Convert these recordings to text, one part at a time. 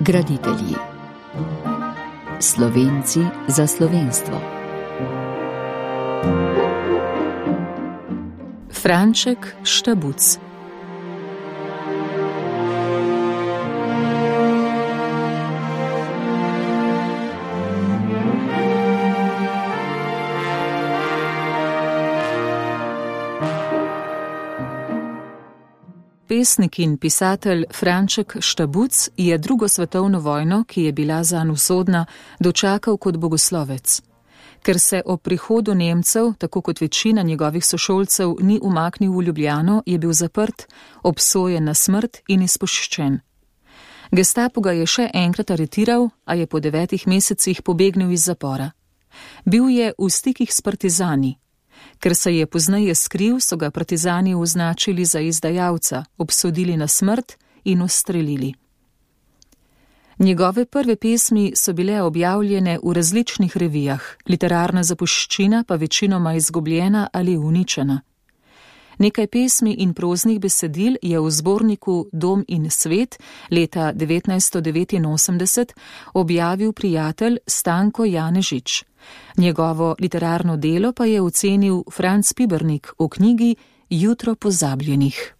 Graditelji. Slovenci za slovenstvo. Franček Štabuc. Pesnik in pisatelj Franček Štabuc je drugo svetovno vojno, ki je bila zanj usodna, dočakal kot bogoslovec. Ker se ob prihodu Nemcev, tako kot večina njegovih sošolcev, ni umaknil v Ljubljano, je bil zaprt, obsojen na smrt in izpuščen. Gestapo ga je še enkrat aretiral, a je po 9 mesecih pobegnil iz zapora. Bil je v stikih s partizani. Ker se je pozneje skril, so ga partizani označili za izdajalca, obsodili na smrt in ustrelili. Njegove prve pesmi so bile objavljene v različnih revijah, literarna zapuščina pa večinoma izgubljena ali uničena. Nekaj pesmi in proznih besedil je v zborniku Dom in svet leta 1989 objavil prijatelj Stanko Janežič. Njegovo literarno delo pa je ocenil Franc Pibernik v knjigi Jutro pozabljenih.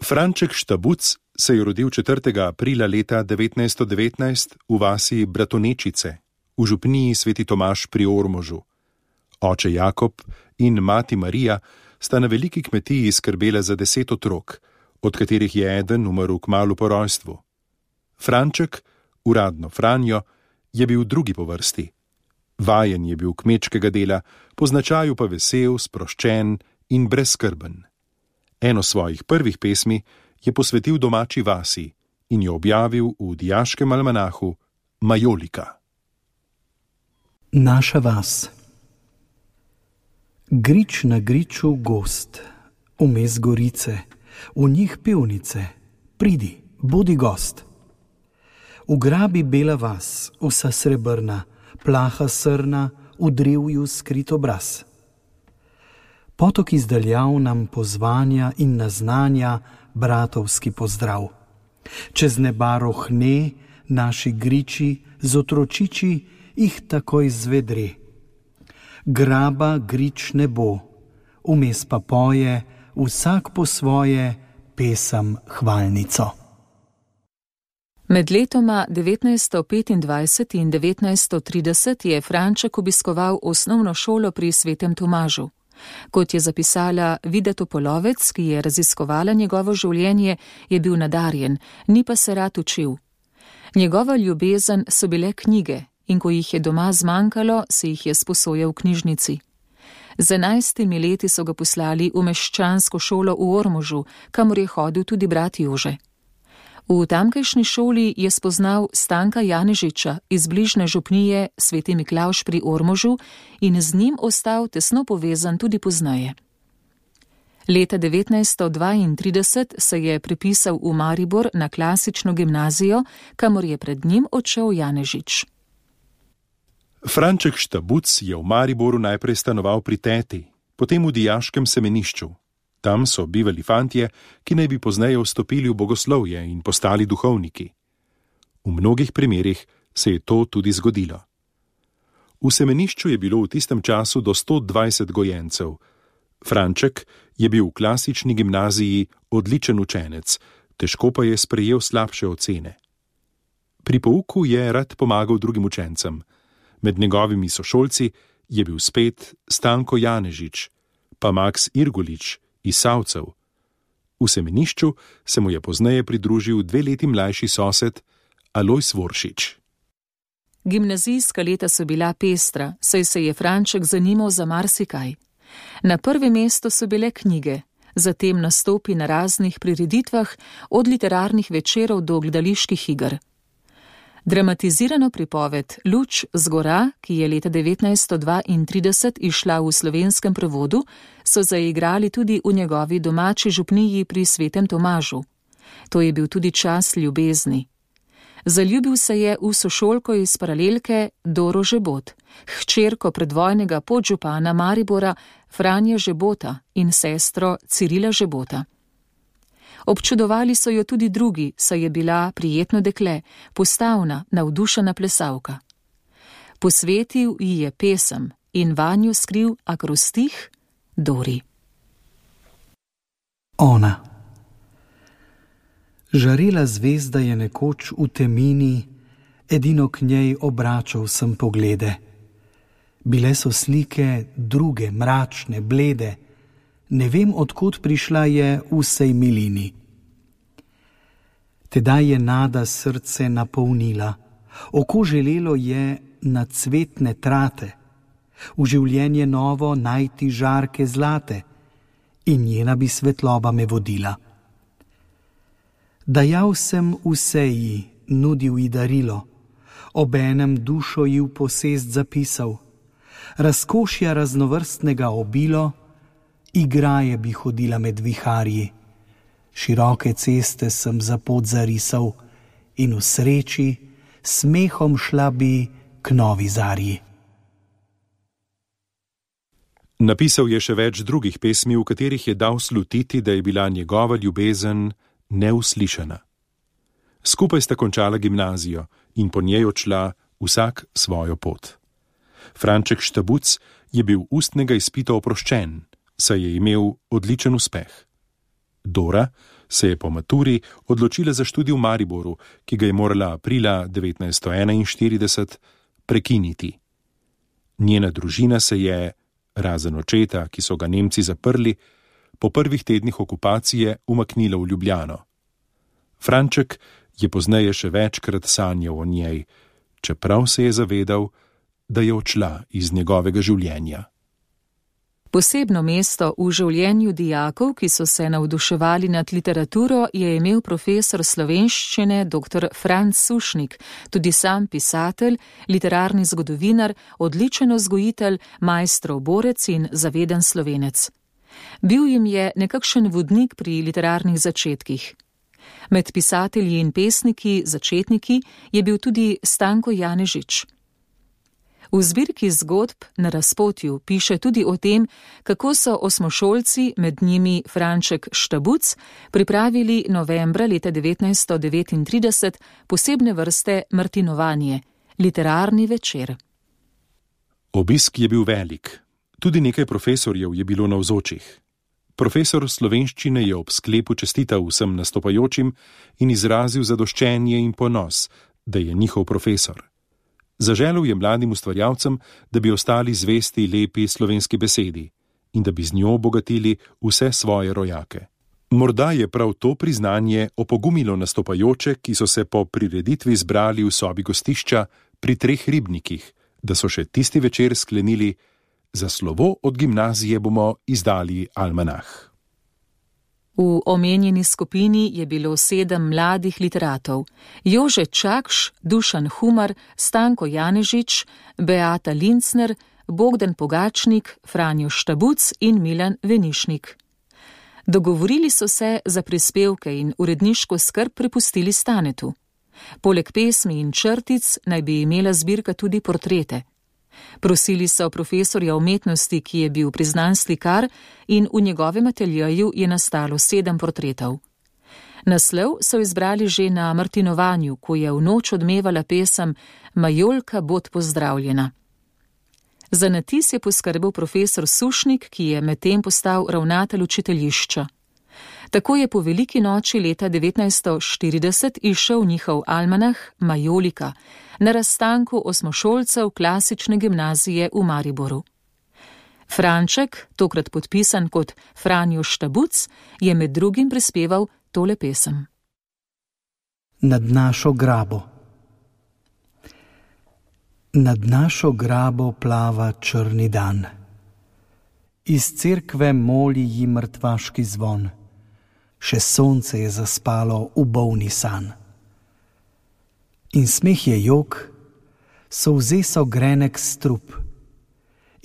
Franček Štabuc se je rodil 4. aprila leta 1919 v vasi Bratonečice, v župniji Sveti Tomaž pri Ormožu. Oče Jakob in mati Marija sta na veliki kmetiji skrbela za 10 otrok, od katerih je eden umrl kmalu po rojstvu. Franček, uradno Franjo, je bil drugi po vrsti. Vajen je bil kmečkega dela, po značaju pa vesel, sproščen in brezskrben. Eno svojih prvih pesmi je posvetil domači vasi in jo objavil v dijaškem almanahu Majolika. Naša vas. Grič na griču gozd, vmes gorice, v njih pivnice, pridi, bodi gost. Ugrabi bela vas, vsa srebrna, plaha srna, v drevju skrit obraz. Potok izdaljav nam pozvanja in naznanja bratovski pozdrav. Čez neba rohne, naši griči, z otročiči jih takoj zvedre. Graba grič ne bo, vmes pa poje, vsak po svoje, pesem hvalnico. Med letoma 1925 in 1930 je Franček obiskoval osnovno šolo pri Svetem Tomažu. Kot je zapisala Vida Topolovec, ki je raziskovala njegovo življenje, je bil nadarjen, ni pa se rad učil. Njegova ljubezen so bile knjige in ko jih je doma zmanjkalo, se jih je sposojal v knjižnici. Z 11 leti so ga poslali v meščansko šolo v Ormožu, kamor je hodil tudi brat Jože. V tamkajšnji šoli je spoznal Stanka Janežiča iz bližnje župnije Sveti Miklavž pri Ormožu in z njim ostal tesno povezan tudi pozneje. Leta 1932 se je prepisal v Maribor na klasično gimnazijo, kamor je pred njim odšel Janežič. Franček Štabuc je v Mariboru najprej stanoval pri teti, potem v dijaškem semenišču. Tam so bivali fantje, ki naj bi pozneje vstopili v bogoslovje in postali duhovniki. V mnogih primerih se je to tudi zgodilo. V semenišču je bilo v tistem času do 120 gojencev. Franček je bil v klasični gimnaziji odličen učenec, težko pa je sprejel slabše ocene. Pri pouku je rad pomagal drugim učencem. Med njegovimi sošolci je bil spet Stanko Janežič, pa Maks Irgulič iz Savcev. V semenišču se mu je pozneje pridružil 2 leti mlajši sosed Alojz Voršič. Gimnazijska leta so bila pestra, saj se je Franček zanimal za marsikaj. Na prvem mestu so bile knjige, zatem nastopi na raznih prireditvah, od literarnih večerov do gledaliških iger. Dramatizirano pripoved Luč z gora, ki je leta 1932 izšla v slovenskem prevodu, so zaigrali tudi v njegovi domači župniji pri Svetem Tomažu. To je bil tudi čas ljubezni. Zaljubil se je v sošolko iz paralelke Doro Žebot, hčerko predvojnega podžupana Maribora Franje Žebota in sestro Cirila Žebota. Občudovali so jo tudi drugi, saj je bila prijetno dekle, postavna, navdušena plesalka. Posvetil ji je pesem in vanjo skril akrostih Dori. Ona. Žarela zvezda je nekoč v temini, edino k njej obračal sem poglede. Bile so slike druge, mračne, blede, ne vem, odkot prišla je v sej milini. Tedaj je nada srce napolnila, oko želelo je na cvetne trate, v življenje novo najti žarke zlate in njena bi svetloba me vodila. Dajal sem vse ji, nudil ji darilo, obenem dušo ji v posest zapisal, razkošja raznovrstnega obilo, igraje bi hodila med viharji, široke ceste sem za pot zarisal in v sreči smehom šla bi k novi zarji. Napisal je še več drugih pesmi, v katerih je dal slutiti, da je bila njegova ljubezen neuslišana. Skupaj sta končala gimnazijo in po njej odšla vsak svojo pot. Franček Štabuc je bil ustnega izpita oproščen, saj je imel odličen uspeh. Dora se je po maturi odločila za študij v Mariboru, ki ga je morala aprila 1941 prekiniti. Njena družina se je, razen očeta, ki so ga Nemci zaprli, po prvih tednih okupacije umaknila v Ljubljano. Franček je pozneje še večkrat sanjal o njej, čeprav se je zavedal, da je odšla iz njegovega življenja. Posebno mesto v življenju dijakov, ki so se navduševali nad literaturo, je imel profesor slovenščine dr. Franc Sušnik, tudi sam pisatelj, literarni zgodovinar, odličen vzgojitelj, majstrov borec in zaveden Slovenec. Bil jim je nekakšen vodnik pri literarnih začetkih. Med pisatelji in pesniki, začetniki, je bil tudi Stanko Janežič. V zbirki zgodb Na razpotju piše tudi o tem, kako so osmošolci, med njimi Franček Štabuc, pripravili novembra leta 1939 posebne vrste martinovanje, literarni večer. Obisk je bil velik. Tudi nekaj profesorjev je bilo navzočih. Profesor slovenščine je ob sklepu čestital vsem nastopajočim in izrazil zadoščenje in ponos, da je njihov profesor. Zaželel je mladim ustvarjalcem, da bi ostali zvesti lepi slovenski besedi in da bi z njo obogatili vse svoje rojake. Morda je prav to priznanje opogumilo nastopajoče, ki so se po prireditvi zbrali v sobi gostišča pri 3 ribnikih, da so še tisti večer sklenili: za slovo od gimnazije bomo izdali almanah. V omenjeni skupini je bilo 7 mladih literatov: Jože Čakš, Dušan Humar, Stanko Janežič, Beata Lincner, Bogdan Pogačnik, Franjo Štabuc in Milan Venišnik. Dogovorili so se za prispevke in uredniško skrb prepustili Stanetu. Poleg pesmi in črtic naj bi imela zbirka tudi portrete. Prosili so profesorja umetnosti, ki je bil priznan slikar, in v njegovem ateljeju je nastalo 7 portretov. Naslov so izbrali že na martinovanju, ko je v noč odmevala pesem Majolka bod pozdravljena. Za natis je poskrbel profesor Sušnik, ki je medtem postal ravnatelj učiteljišča. Tako je po veliki noči leta 1940 izšel njihov almanah Majolika na razstanku osmošolcev klasične gimnazije v Mariboru. Franček, tokrat podpisan kot Franjo Štabuc, je med drugim prispeval tole pesem. Nad našo grabo. Nad našo grabo plava črni dan. Iz cerkve moli ji mrtvaški zvon. Še sonce je zaspalo v bolni san. In smeh je jok, solze so grenek strup,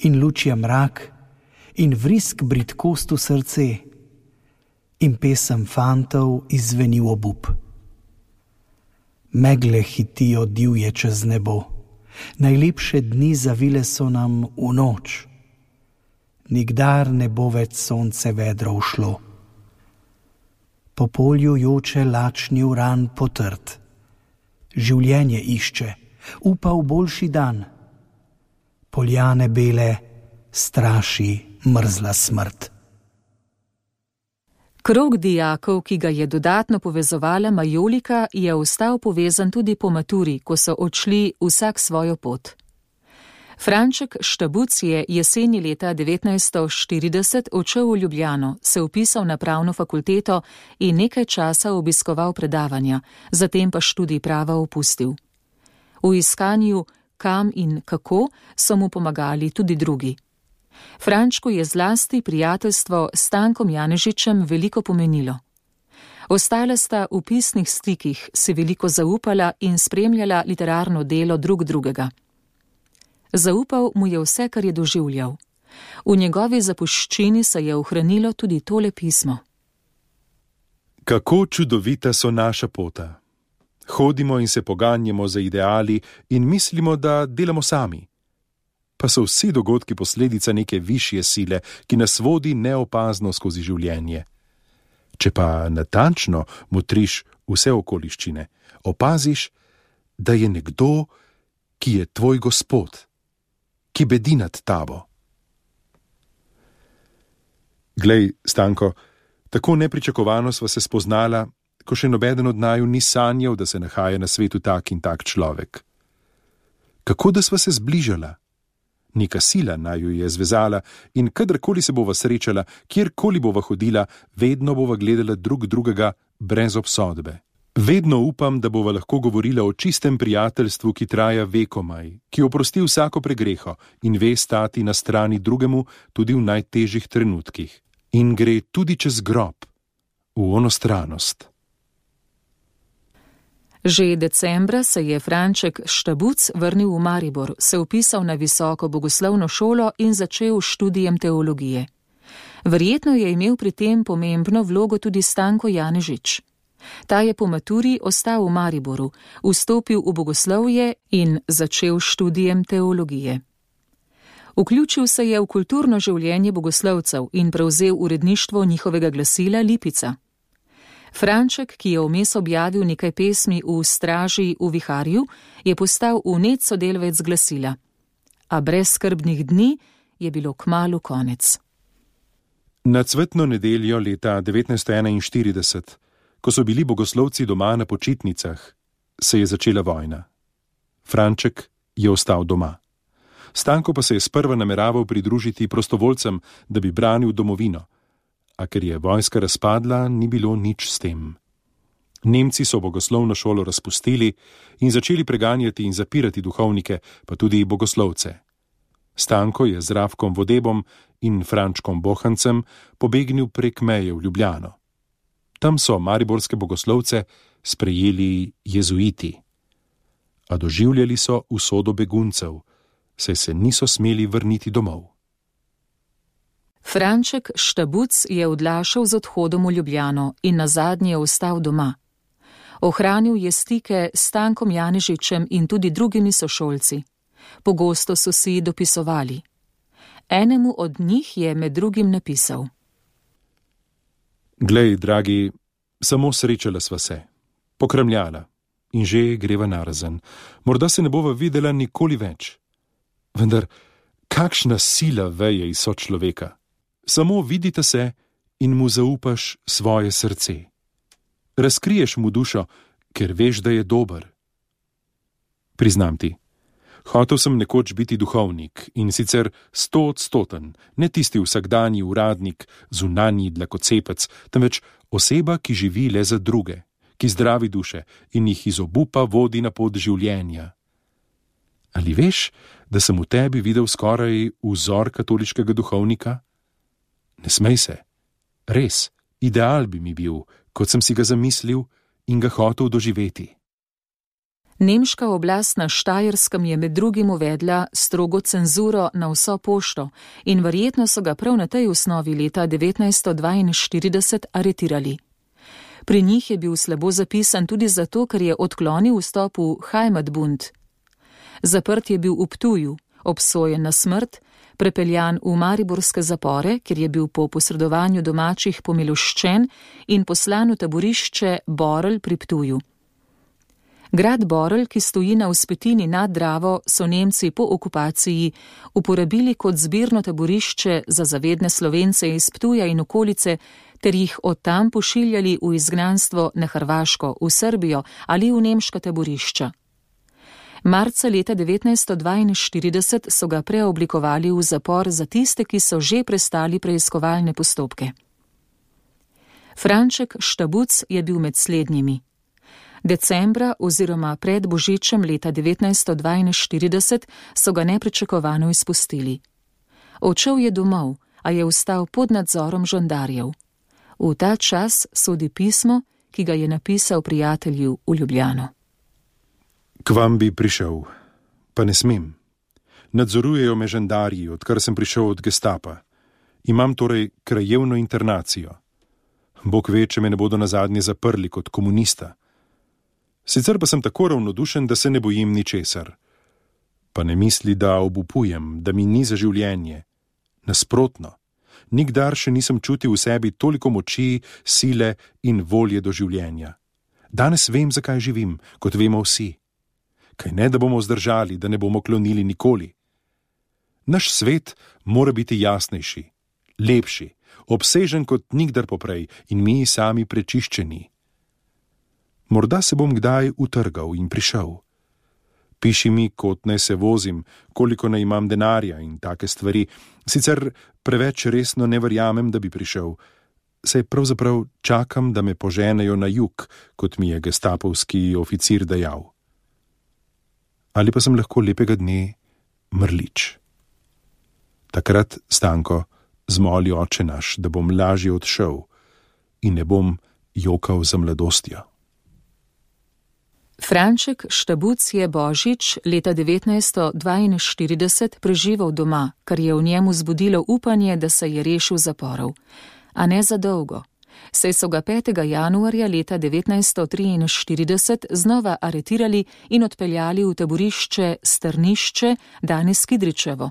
in luč je mrak, in vrisk bridkost v srce, in pesem fantov izzveni v obup. Megle hitijo divje čez nebo, najlepše dni zavile so nam v noč. Nikdar ne bo več sonce vedro ušlo. Po polju joče lačni uran potrt. Življenje išče, upa v boljši dan. Poljane bele straši mrzla smrt. Krog dijakov, ki ga je dodatno povezovala Majolika, je ostal povezan tudi po maturi, ko so odšli vsak svojo pot. Franček Štabuc je jeseni leta 1940 odšel v Ljubljano, se vpisal na pravno fakulteto in nekaj časa obiskoval predavanja, zatem pa študij prava opustil. V iskanju kam in kako so mu pomagali tudi drugi. Frančku je zlasti prijateljstvo s Stankom Janežičem veliko pomenilo. Ostala sta v pisnih stikih, si veliko zaupala in spremljala literarno delo drug drugega. Zaupal mu je vse, kar je doživljal. V njegovi zapuščini se je ohranilo tudi tole pismo. Kako čudovita so naša pota. Hodimo in se poganjamo za ideali in mislimo, da delamo sami. Pa so vsi dogodki posledica neke višje sile, ki nas vodi neopazno skozi življenje. Če pa natančno motriš vse okoliščine, opaziš, da je nekdo, ki je tvoj gospod, ki bedi nad tabo. Glej, Stanko, tako nepričakovano sva se spoznala, ko še nobeden od naju ni sanjal, da se nahaja na svetu tak in tak človek. Kako da sva se zbližala? Neka sila naju je zvezala in kadarkoli se bova srečala, kjerkoli bova hodila, vedno bova gledala drug drugega brez obsodbe. Vedno upam, da bova lahko govorila o čistem prijateljstvu, ki traja vekomaj, ki oprosti vsako pregreho in ve stati na strani drugemu tudi v najtežjih trenutkih. In gre tudi čez grob, v onostranost. Že decembra se je Franček Štabuc vrnil v Maribor, se vpisal na visoko bogoslovno šolo in začel študijem teologije. Verjetno je imel pri tem pomembno vlogo tudi Stanko Janežič. Ta je po maturi ostal v Mariboru, vstopil v bogoslovje in začel študijem teologije. Vključil se je v kulturno življenje bogoslovcev in prevzel uredništvo njihovega glasila Lipica. Franček, ki je vmes objavil nekaj pesmi v Straži v viharju, je postal vnet sodelavec glasila. A brez skrbnih dni je bilo kmalu konec. Na cvetno nedeljo leta 1941, ko so bili bogoslovci doma na počitnicah, se je začela vojna. Franček je ostal doma. Stanko pa se je sprva nameraval pridružiti prostovoljcem, da bi branil domovino. A ker je vojska razpadla, ni bilo nič s tem. Nemci so bogoslovno šolo razpustili in začeli preganjati in zapirati duhovnike, pa tudi bogoslovce. Stanko je z Rafkom Vodebom in Frančkom Bohancem pobegnil prek meje v Ljubljano. Tam so mariborske bogoslovce sprejeli jezuiti. A doživljali so usodo beguncev, saj se niso smeli vrniti domov. Franček Štabuc je odlašal z odhodom v Ljubljano in nazadnje ostal doma. Ohranil je stike s Stankom Janežičem in tudi drugimi sošolci. Pogosto so si dopisovali. Enemu od njih je med drugim napisal: Glej, dragi, samo srečala sva se, pokramljala in že greva narazen. Morda se ne bova videla nikoli več. Vendar, kakšna sila veje iz sočloveka. Samo vidite se in mu zaupaš svoje srce. Razkriješ mu dušo, ker veš, da je dober. Priznam ti, hotel sem nekoč biti duhovnik in sicer 100-odstoten, ne tisti vsakdanji uradnik, zunanji dlakocepec, temveč oseba, ki živi le za druge, ki zdravi duše in jih iz obupa vodi na pot življenja. Ali veš, da sem v tebi videl skoraj vzor katoliškega duhovnika? Ne smej se. Res, ideal bi mi bil, kot sem si ga zamislil in ga hotel doživeti. Nemška oblast na Štajerskem je med drugim uvedla strogo cenzuro na vso pošto in verjetno so ga prav na tej osnovi leta 1942 aretirali. Pri njih je bil slabo zapisan tudi zato, ker je odklonil vstop v Heimatbund. Zaprt je bil v Ptuju, obsojen na smrt, prepeljan v mariborske zapore, kjer je bil po posredovanju domačih pomiloščen in poslan v taborišče Borel pri Ptuju. Grad Borel, ki stoji na vzpetini nad Dravo, so Nemci po okupaciji uporabili kot zbirno taborišče za zavedne Slovence iz Ptuja in okolice, ter jih od tam pošiljali v izgnanstvo na Hrvaško, v Srbijo ali v nemška taborišča. Marca leta 1942 so ga preoblikovali v zapor za tiste, ki so že prestali preiskovalne postopke. Franček Štabuc je bil med slednjimi. Decembra oziroma pred božičem leta 1942 so ga nepričakovano izpustili. Odšel je domov, a je ostal pod nadzorom žandarjev. V ta čas sodi pismo, ki ga je napisal prijatelju v Ljubljano. K vam bi prišel, pa ne smem. Nadzorujejo me žandarji, odkar sem prišel od Gestapa. Imam torej krajevno internacijo. Bog ve, če me ne bodo nazadnje zaprli kot komunista. Sicer pa sem tako ravnodušen, da se ne bojim ničesar. Pa ne misli, da obupujem, da mi ni za življenje. Nasprotno, nikdar še nisem čutil v sebi toliko moči, sile in volje do življenja. Danes vem, zakaj živim, kot vemo vsi. Kaj ne, da bomo zdržali, da ne bomo klonili nikoli. Naš svet mora biti jasnejši, lepši, obsežen kot nikdar poprej in mi sami prečiščeni. Morda se bom kdaj utrgal in prišel. Piši mi, kot naj se vozim, koliko naj imam denarja in take stvari. Sicer preveč resno ne verjamem, da bi prišel. Saj pravzaprav čakam, da me poženejo na jug, kot mi je gestapovski oficir dejal. Ali pa sem lahko lepega dne mrlič. Takrat, Stanko, zmoli oče naš, da bom lažje odšel in ne bom jokal za mladostjo. Franček Štabuc je božič leta 1942 preživel doma, kar je v njemu zbudilo upanje, da se je rešil zaporov. A ne za dolgo. Saj so ga 5. januarja leta 1943 znova aretirali in odpeljali v taborišče Strnišče, danes Kidričevo.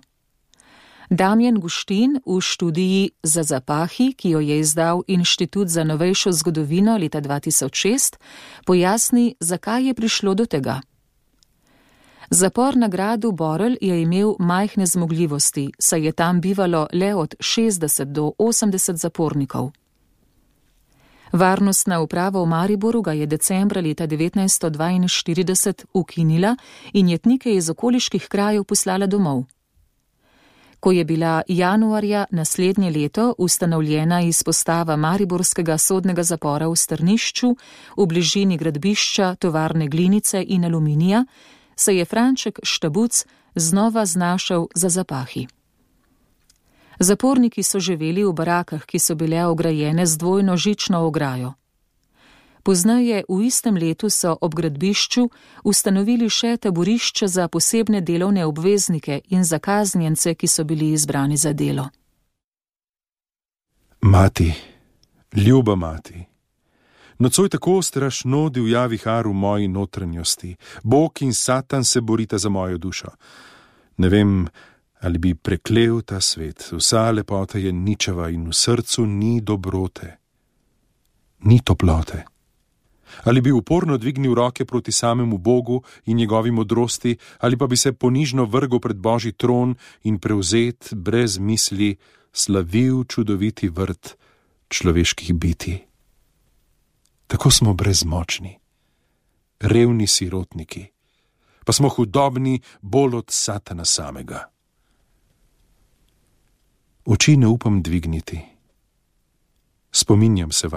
Damjan Guštin v študiji Za zapahi, ki jo je izdal Inštitut za novejšo zgodovino leta 2006, pojasni, zakaj je prišlo do tega. Zapor na gradu Borel je imel majhne zmogljivosti, saj je tam bivalo le od 60 do 80 zapornikov. Varnostna uprava v Mariboru ga je decembra leta 1942 ukinila in jetnike iz okoliških krajev poslala domov. Ko je bila januarja naslednje leto ustanovljena izpostava mariborskega sodnega zapora v Strnišču v bližini gradbišča tovarne glinice in aluminija, se je Franček Štabuc znova znašel za zapahi. Zaporniki so živeli v barakah, ki so bile ograjene z dvojno žično ograjo. Pozneje v istem letu so ob gradbišču ustanovili še taborišče za posebne delovne obveznike in za kaznjence, ki so bili izbrani za delo. Mati, ljuba mati, nocoj tako strašno divja vihar v moji notranjosti. Bog in Satan se borita za mojo dušo. Ne vem, ali bi preklel ta svet. Vsa lepota je ničeva in v srcu ni dobrote, ni toplote. Ali bi uporno dvignil roke proti samemu Bogu in njegovi modrosti, ali pa bi se ponižno vrgel pred Božji tron in prevzet, brez misli, slavil čudoviti vrt človeških bitij. Tako smo brezmočni, revni sirotniki, pa smo hudobni bolj od Satana samega. Oči ne upam dvigniti. Spominjam se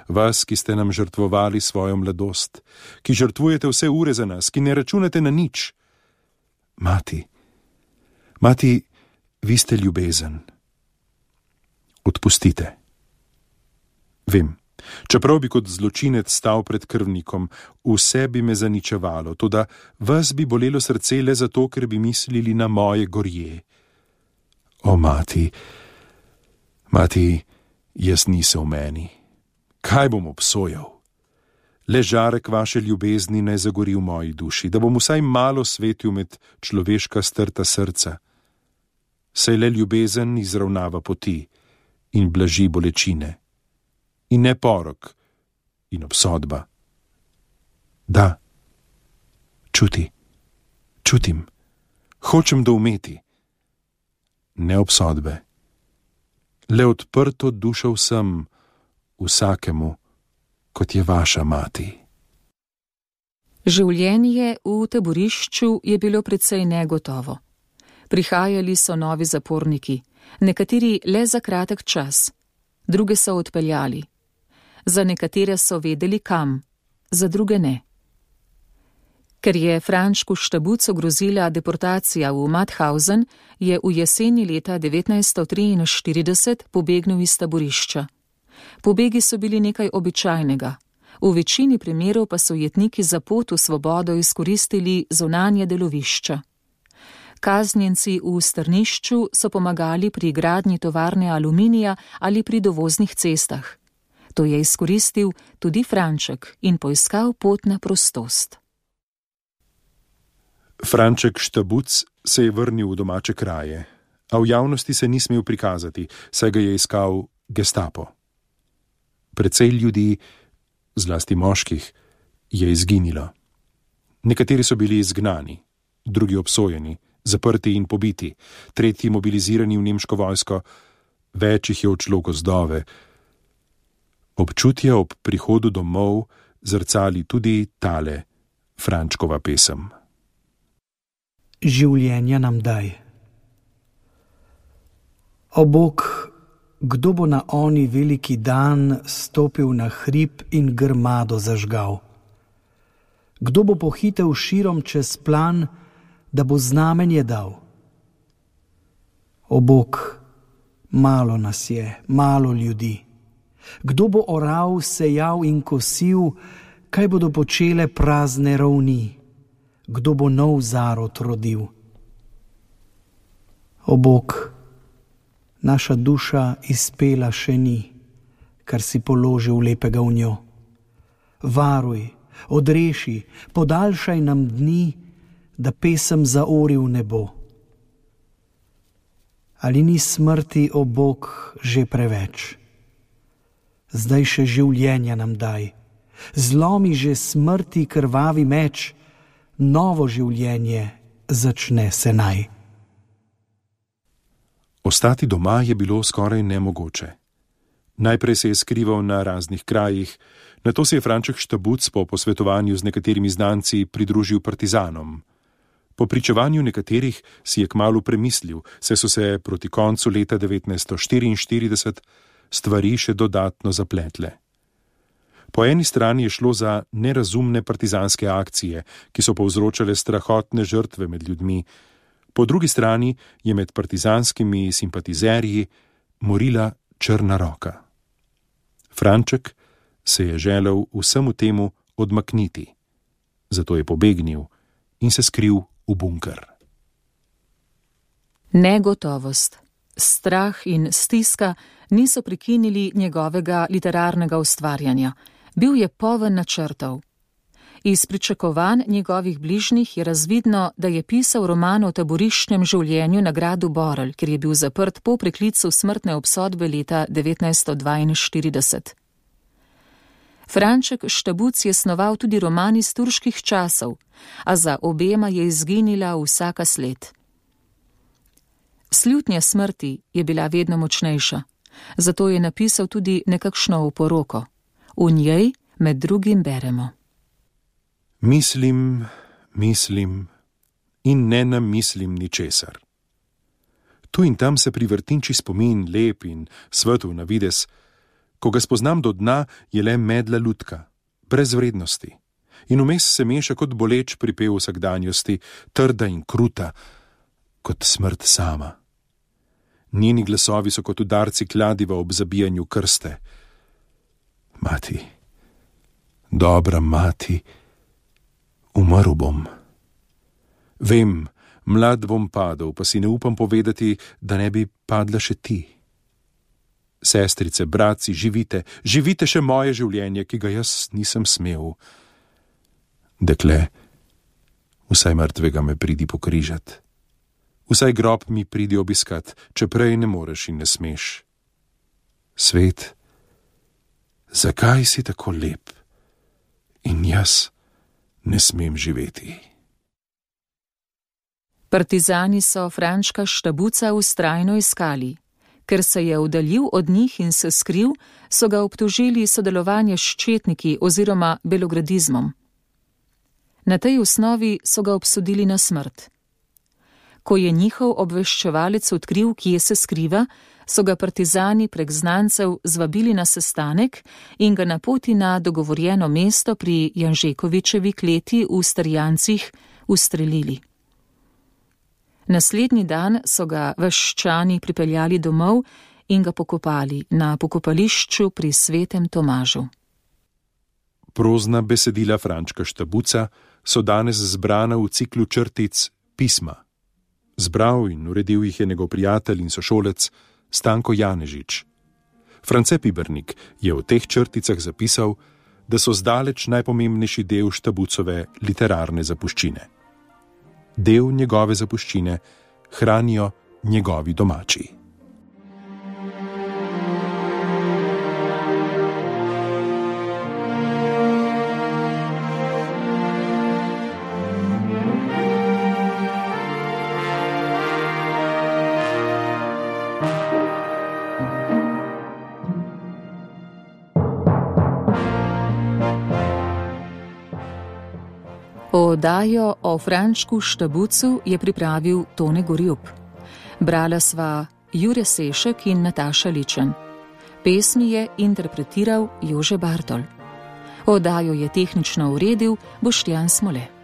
vas, ki ste nam žrtvovali svojo mladost, ki žrtvujete vse ure za nas, ki ne računate na nič. Mati, vi ste ljubezen. Odpustite. Vem, čeprav bi kot zločinec stal pred krvnikom, vse bi me zaničevalo, toda vas bi bolelo srce le zato, ker bi mislili na moje gorje. O, mati, jaz nisem v meni. Kaj bom obsojal? Le žarek vaše ljubezni naj zagori v moji duši, da bom vsaj malo svetil med človeška strta srca. saj le ljubezen izravnava poti in blaži bolečine, in ne porok in obsodba. Da, čutim, hočem doumeti. Ne obsodbe, le odprto dušo vsem, vsakemu, kot je vaša mati. Življenje v taborišču je bilo precej negotovo. Prihajali so novi zaporniki, nekateri le za kratek čas, druge so odpeljali. Za nekatere so vedeli kam, za druge ne. Ker je Frančku Štabucu grozila deportacija v Mauthausen, je v jeseni leta 1943 pobegnil iz taborišča. Pobegi so bili nekaj običajnega. V večini primerov pa so jetniki za pot v svobodo izkoristili zunanje delovišča. Kaznjenci v strnišču so pomagali pri gradnji tovarne aluminija ali pri dovoznih cestah. To je izkoristil tudi Franček in poiskal pot na prostost. Franček Štabuc se je vrnil v domače kraje, a v javnosti se ni smel prikazati, saj ga je iskal Gestapo. Precej ljudi, zlasti moških, je izginilo. Nekateri so bili izgnani, drugi obsojeni, zaprti in pobiti, tretji mobilizirani v nemško vojsko, več jih je odšlo gozdove. Občutje ob prihodu domov zrcali tudi tale Frančkova pesem. Življenja nam daj. O Bog, kdo bo na oni veliki dan stopil na hrib in grmado zažgal? Kdo bo pohitel širom čez plan, da bo znamenje dal? O Bog, malo nas je, malo ljudi. Kdo bo oral, sejal in kosil, kaj bodo počele prazne ravni? Kdo bo nov zarod rodil? O Bog, naša duša izpela še ni, kar si položil lepega v njo. Varuj, odreši, podaljšaj nam dni, da pesem zaori v nebo. Ali ni smrti, o Bog, že preveč? Zdaj še življenja nam daj, zlomi že smrti krvavi meč, novo življenje začne se naj. Ostati doma je bilo skoraj nemogoče. Najprej se je skrival na raznih krajih, nato se je Franček Štabuc po posvetovanju z nekaterimi znanci pridružil partizanom. Po pričevanju nekaterih si je kmalu premislil, saj so se proti koncu leta 1944 stvari še dodatno zapletle. Po eni strani je šlo za nerazumne partizanske akcije, ki so povzročale strahotne žrtve med ljudmi, po drugi strani je med partizanskimi simpatizerji morila črna roka. Franček se je želel vsemu temu odmakniti, zato je pobegnil in se skril v bunker. Negotovost, strah in stiska niso prekinili njegovega literarnega ustvarjanja. Bil je poln načrtov. Iz pričakovanj njegovih bližnjih je razvidno, da je pisal roman o taboriščnem življenju na gradu Borel, kjer je bil zaprt po preklicu smrtne obsodbe leta 1942. Franček Štabuc je snoval tudi roman iz turških časov, a za obema je izginila vsaka sled. Slutnja smrti je bila vedno močnejša, zato je napisal tudi nekakšno oporoko. V njej med drugim beremo: Mislim in ne namislim ničesar. Tu in tam se privrtinči spomin, lep in svetel na vides. Ko ga spoznam do dna, je le medla lutka, brez vrednosti. In vmes se meša kot boleč pripev vsakdanjosti, trda in kruta, kot smrt sama. Njeni glasovi so kot udarci kladiva ob zabijanju krste. Mati, dobra mati, umrl bom. Vem, mlad bom padel, pa si ne upam povedati, da ne bi padla še ti. Sestrice, bratci, živite še moje življenje, ki ga jaz nisem smel. Dekle, vsaj mrtvega me pridi pokrižat. Vsaj grob mi pridi obiskat, če prej ne moreš in ne smeš. Svet, zakaj si tako lep in jaz ne smem živeti? Partizani so Frančka Štabuca vztrajno iskali. Ker se je oddaljil od njih in se skril, so ga obtožili sodelovanja s četniki oziroma belogradizmom. Na tej osnovi so ga obsodili na smrt. Ko je njihov obveščevalec odkril, kje se skriva, so ga partizani prek znancev zvabili na sestanek in ga na poti na dogovorjeno mesto pri Janžekovičevi kleti v Strjancih ustrelili. Naslednji dan so ga vaščani pripeljali domov in ga pokopali na pokopališču pri Svetem Tomažu. Prozna besedila Frančka Štabuca so danes zbrana v ciklu črtic Pisma. Zbral in uredil jih je njegov prijatelj in sošolec Stanko Janežič. France Pibernik je v teh črticah zapisal, da so zdaleč najpomembnejši del Štabucove literarne zapuščine. Del njegove zapuščine hranijo njegovi domači. Oddajo o Frančku Štabucu je pripravil Tone Gorjup. Brala sva Jure Sešek in Nataša Ličen. Pesmi je interpretiral Jože Bartol. Oddajo je tehnično uredil Boštjan Smole.